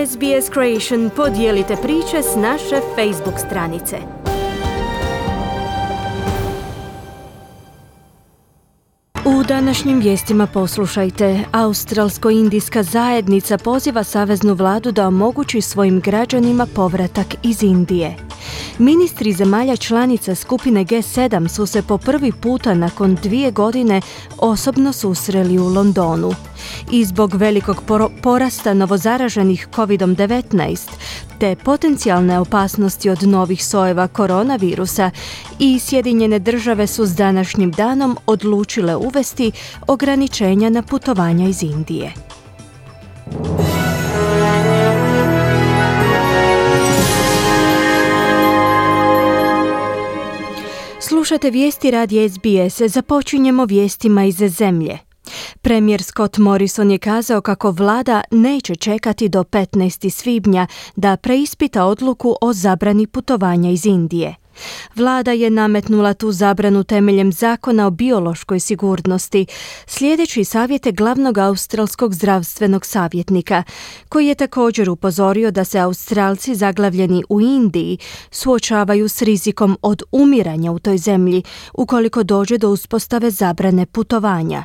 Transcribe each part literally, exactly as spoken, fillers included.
S B S Creation, podijelite priče s naše Facebook stranice. U današnjim vijestima poslušajte. Australsko-indijska zajednica poziva saveznu vladu da omogući svojim građanima povratak iz Indije. Ministri zemalja članica skupine G sedam su se po prvi puta nakon dvije godine osobno susreli u Londonu. I zbog velikog porasta novozaraženih kovid devetnaest te potencijalne opasnosti od novih sojeva koronavirusa, i Sjedinjene države su s današnjim danom odlučile uvesti ograničenja na putovanja iz Indije. Slušate vijesti radija S B S. Započinjemo vijestima iz zemlje. Premijer Scott Morrison je kazao kako vlada neće čekati do petnaestog svibnja da preispita odluku o zabrani putovanja iz Indije. Vlada je nametnula tu zabranu temeljem zakona o biološkoj sigurnosti, slijedeći savjete glavnog australskog zdravstvenog savjetnika, koji je također upozorio da se Australci zaglavljeni u Indiji suočavaju s rizikom od umiranja u toj zemlji ukoliko dođe do uspostave zabrane putovanja.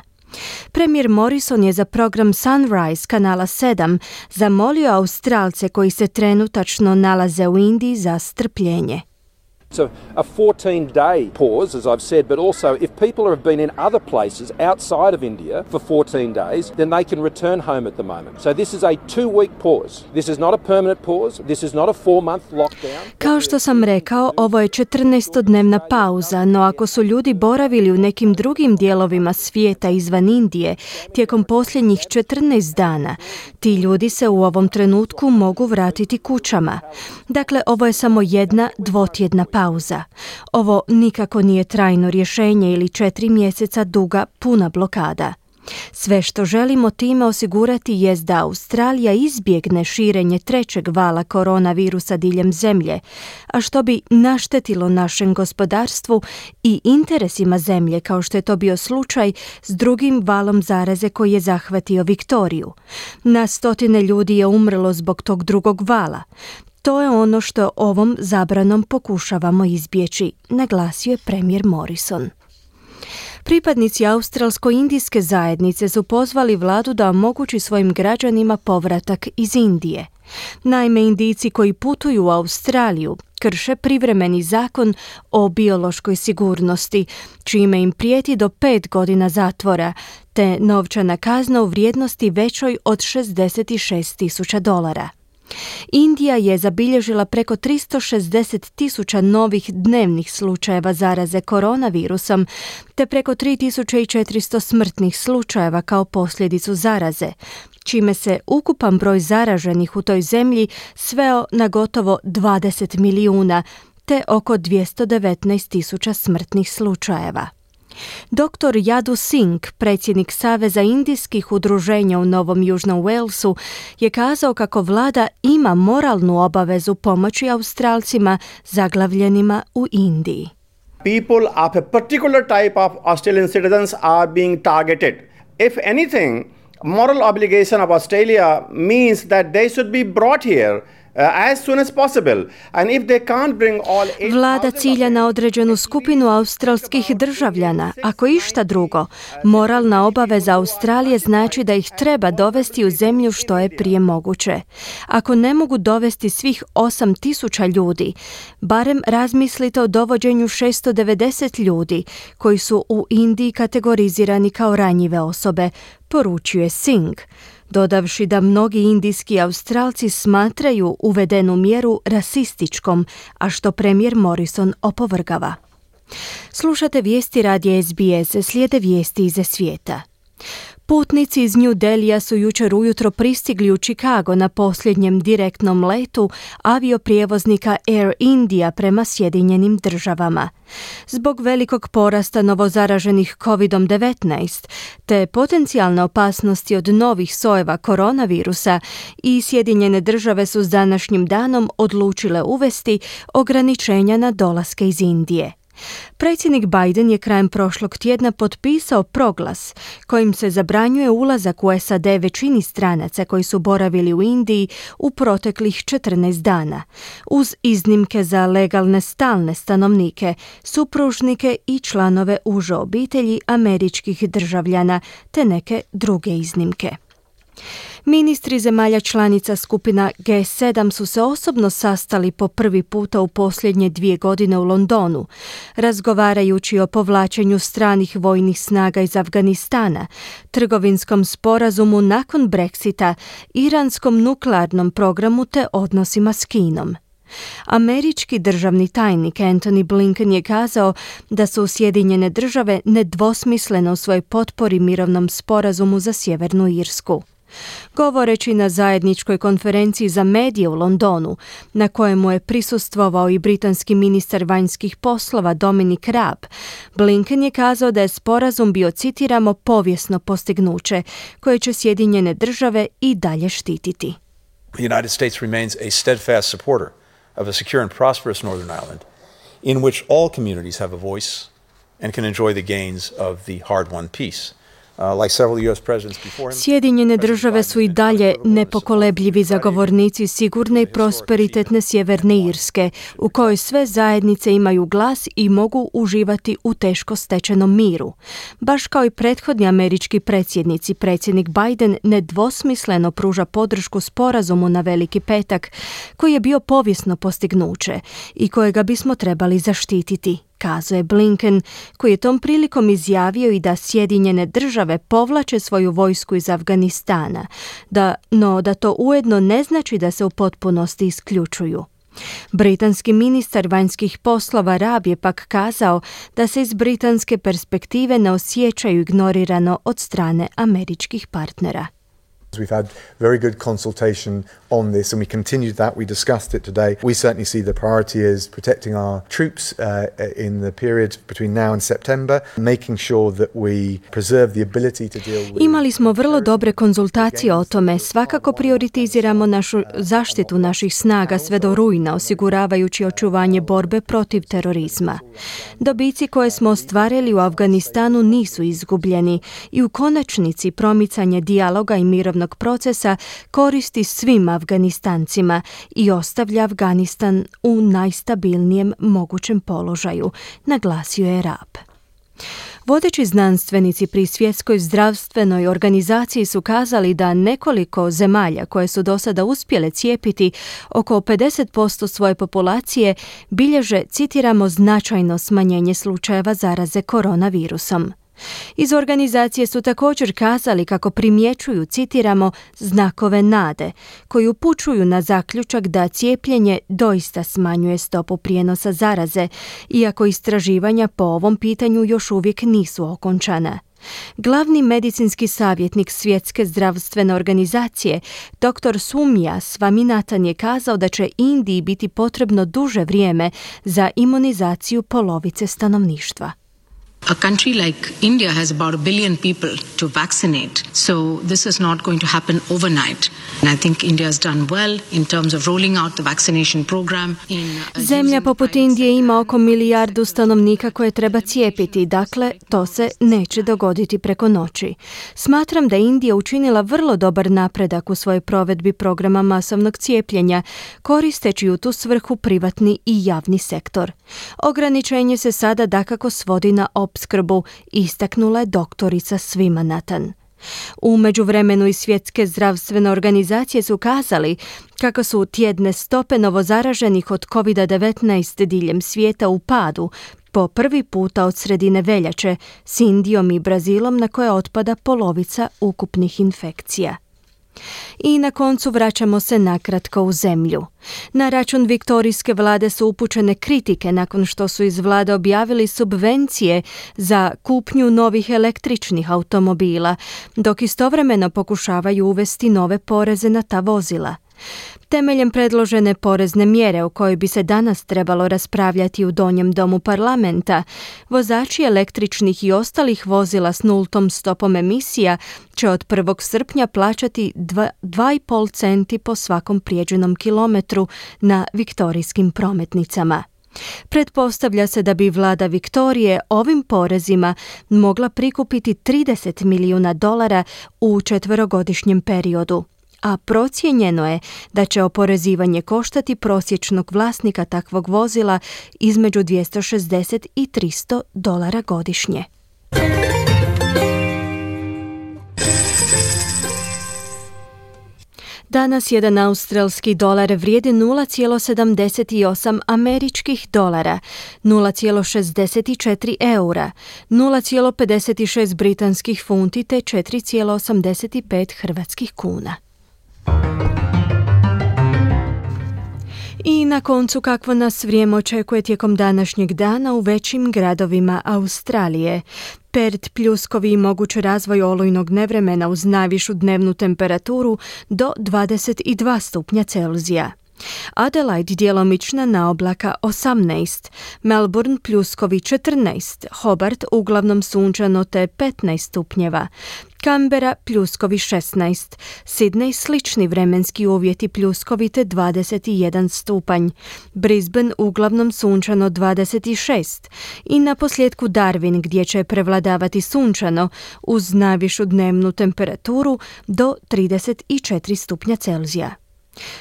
Premijer Morrison je za program Sunrise kanala sedam zamolio Australce koji se trenutačno nalaze u Indiji za strpljenje. It's a, a fourteen day pause, as I've said, but also if people have been in other places outside of India for fourteen days, then they can return home at the moment. So this is a two-week pause. This is not a permanent pause. This is not a four-month lockdown. Kao što sam rekao, ovo je četrnaestodnevna pauza, no ako su ljudi boravili u nekim drugim dijelovima svijeta izvan Indije tijekom posljednjih četrnaest dana, ti ljudi se u ovom trenutku mogu vratiti kućama. Dakle, ovo je samo jedna dvotjedna pauza. Pauza. Ovo nikako nije trajno rješenje ili četiri mjeseca duga puna blokada. Sve što želimo time osigurati jest da Australija izbjegne širenje trećeg vala koronavirusa diljem zemlje, a što bi naštetilo našem gospodarstvu i interesima zemlje, kao što je to bio slučaj s drugim valom zaraze koji je zahvatio Viktoriju. Na stotine ljudi je umrlo zbog tog drugog vala. To je ono što ovom zabranom pokušavamo izbjeći, naglasio je premijer Morrison. Pripadnici australsko-indijske zajednice su pozvali vladu da omogući svojim građanima povratak iz Indije. Naime, Indijci koji putuju u Australiju krše privremeni zakon o biološkoj sigurnosti, čime im prijeti do pet godina zatvora, te novčana kazna u vrijednosti većoj od šezdeset šest tisuća dolara. Indija je zabilježila preko tristo šezdeset tisuća novih dnevnih slučajeva zaraze koronavirusom, te preko tri tisuće četiristo smrtnih slučajeva kao posljedicu zaraze, čime se ukupan broj zaraženih u toj zemlji sveo na gotovo dvadeset milijuna, te oko dvjesto devetnaest tisuća smrtnih slučajeva. doktor Yadu Singh, predsjednik Saveza indijskih udruženja u Novom Južnom Walesu, je kazao kako vlada ima moralnu obavezu pomoći Australcima zaglavljenima u Indiji. People of a particular type of Australian citizens are being targeted. If anything, moral obligation of Australia means that they should be brought here Uh, as soon as possible. And if they can't bring all Vlada cilja na određenu skupinu australskih državljana. Ako išta drugo, moralna obaveza Australije znači da ih treba dovesti u zemlju što je prije moguće. Ako ne mogu dovesti svih osam tisuća ljudi, barem razmislite o dovođenju šesto devedeset ljudi koji su u Indiji kategorizirani kao ranjive osobe, poručuje Singh, dodavši da mnogi indijski Australci smatraju uvedenu mjeru rasističkom, a što premijer Morrison opovrgava. Slušate vijesti radija S B S, slijede vijesti iz svijeta. Putnici iz New Delhija su jučer ujutro pristigli u Chicago na posljednjem direktnom letu avioprijevoznika Air India prema Sjedinjenim državama. Zbog velikog porasta novozaraženih kovid devetnaest te potencijalne opasnosti od novih sojeva koronavirusa, i Sjedinjene države su s današnjim danom odlučile uvesti ograničenja na dolaske iz Indije. Predsjednik Biden je krajem prošlog tjedna potpisao proglas kojim se zabranjuje ulazak u S A D većini stranaca koji su boravili u Indiji u proteklih četrnaest dana, uz iznimke za legalne stalne stanovnike, supružnike i članove uže obitelji američkih državljana te neke druge iznimke. Ministri zemalja članica skupina G sedam su se osobno sastali po prvi puta u posljednje dvije godine u Londonu, razgovarajući o povlačenju stranih vojnih snaga iz Afganistana, trgovinskom sporazumu nakon Brexita, iranskom nuklearnom programu te odnosima s Kinom. Američki državni tajnik Antony Blinken je kazao da su Sjedinjene države nedvosmisleno u svojoj potpori mirovnom sporazumu za Sjevernu Irsku. Govoreći na zajedničkoj konferenciji za medije u Londonu, na kojemu je prisustvovao i britanski ministar vanjskih poslova Dominic Raab, Blinken je kazao da je sporazum bio, citiramo, povijesno postignuće koje će Sjedinjene države i dalje štititi. The United States remains a steadfast supporter of a secure and prosperous Northern Ireland in which all communities have a voice and can enjoy the gains of the hard-won peace. Sjedinjene države su i dalje nepokolebljivi zagovornici sigurne i prosperitetne Sjeverne Irske, u kojoj sve zajednice imaju glas i mogu uživati u teško stečenom miru. Baš kao i prethodni američki predsjednici, predsjednik Biden nedvosmisleno pruža podršku sporazumu na Veliki petak, koji je bio povijesno postignuće i kojega bismo trebali zaštititi, kazuje Blinken, koji je tom prilikom izjavio i da Sjedinjene države povlače svoju vojsku iz Afganistana, da, no da to ujedno ne znači da se u potpunosti isključuju. Britanski ministar vanjskih poslova Raab je pak kazao da se iz britanske perspektive ne osjećaju ignorirano od strane američkih partnera. We've had very good consultation on this and we continued that. We discussed it today. We certainly see the priority is protecting our troops uh, in the period between now and September, making sure that we preserve the ability to deal with... Imali smo vrlo dobre konzultacije o tome. Svakako prioritiziramo našu zaštitu naših snaga sve do rujna, osiguravajući očuvanje borbe protiv terorizma. Dobici koje smo ostvarili u Afganistanu nisu izgubljeni i u konačnici promicanje dijaloga i mirovnog procesa koristi svim Afganistancima i ostavlja Afganistan u najstabilnijem mogućem položaju, naglasio je Raab. Vodeći znanstvenici pri Svjetskoj zdravstvenoj organizaciji su kazali da nekoliko zemalja koje su do sada uspjele cijepiti oko pedeset posto svoje populacije bilježe, citiramo, značajno smanjenje slučajeva zaraze koronavirusom. Iz organizacije su također kazali kako primjećuju, citiramo, znakove nade, koji upućuju na zaključak da cijepljenje doista smanjuje stopu prijenosa zaraze, iako istraživanja po ovom pitanju još uvijek nisu okončana. Glavni medicinski savjetnik Svjetske zdravstvene organizacije, doktor Soumya Swaminathan, je kazao da će Indiji biti potrebno duže vrijeme za imunizaciju polovice stanovništva. A country like India has about a billion people to vaccinate, so this is not going to happen overnight. And I think India has done well in terms of rolling out the vaccination program. In Zemlja poput Indije ima oko milijardu stanovnika koje treba cijepiti, dakle to se neće dogoditi preko noći. Smatram da je Indija učinila vrlo dobar napredak u svojoj provedbi programa masovnog cijepljenja, koristeći u tu svrhu privatni i javni sektor. Ograničenje se sada dakako svodi na opskrbu, istaknula je doktorica Swaminathan. U međuvremenu iz Svjetske zdravstvene organizacije su kazali kako su tjedne stope novozaraženih od kovid devetnaest diljem svijeta u padu po prvi puta od sredine veljače, s Indijom i Brazilom na koje otpada polovica ukupnih infekcija. I na koncu vraćamo se nakratko u zemlju. Na račun viktorijske vlade su upućene kritike nakon što su iz vlade objavili subvencije za kupnju novih električnih automobila, dok istovremeno pokušavaju uvesti nove poreze na ta vozila. Temeljem predložene porezne mjere o kojoj bi se danas trebalo raspravljati u donjem domu parlamenta, vozači električnih i ostalih vozila s nultom stopom emisija će od prvog srpnja plaćati dva i pol centi po svakom prijeđenom kilometru na viktorijskim prometnicama. Pretpostavlja se da bi vlada Viktorije ovim porezima mogla prikupiti trideset milijuna dolara u četverogodišnjem periodu, a procijenjeno je da će oporezivanje koštati prosječnog vlasnika takvog vozila između dvjesto šezdeset i tristo dolara godišnje. Danas jedan australski dolar vrijedi nula zarez sedamdeset osam američkih dolara, nula zarez šezdeset četiri eura, nula zarez pedeset šest britanskih funti te četiri zarez osamdeset pet hrvatskih kuna. I na koncu kakvo nas vrijeme očekuje tijekom današnjeg dana u većim gradovima Australije. Perth pljuskovi i moguć razvoj olujnog nevremena uz najvišu dnevnu temperaturu do dvadeset dva stupnja Celzija. Adelaide djelomična naoblaka osamnaest, Melbourne pljuskovi četrnaest, Hobart uglavnom sunčano te petnaest stupnjeva, Canberra pljuskovi šesnaest, Sydney slični vremenski uvjeti pljuskovi te dvadeset jedan stupanj, Brisbane uglavnom sunčano dvadeset šest i na posljedku Darwin gdje će prevladavati sunčano uz najvišu dnevnu temperaturu do trideset četiri stupnja Celzija.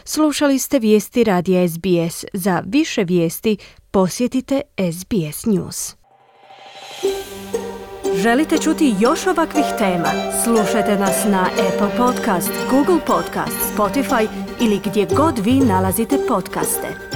Slušali ste vijesti radija S B S. Za više vijesti posjetite S B S News. Želite čuti još ovakvih tema? Slušajte nas na Apple Podcast, Google Podcast, Spotify ili gdje god vi nalazite podcaste.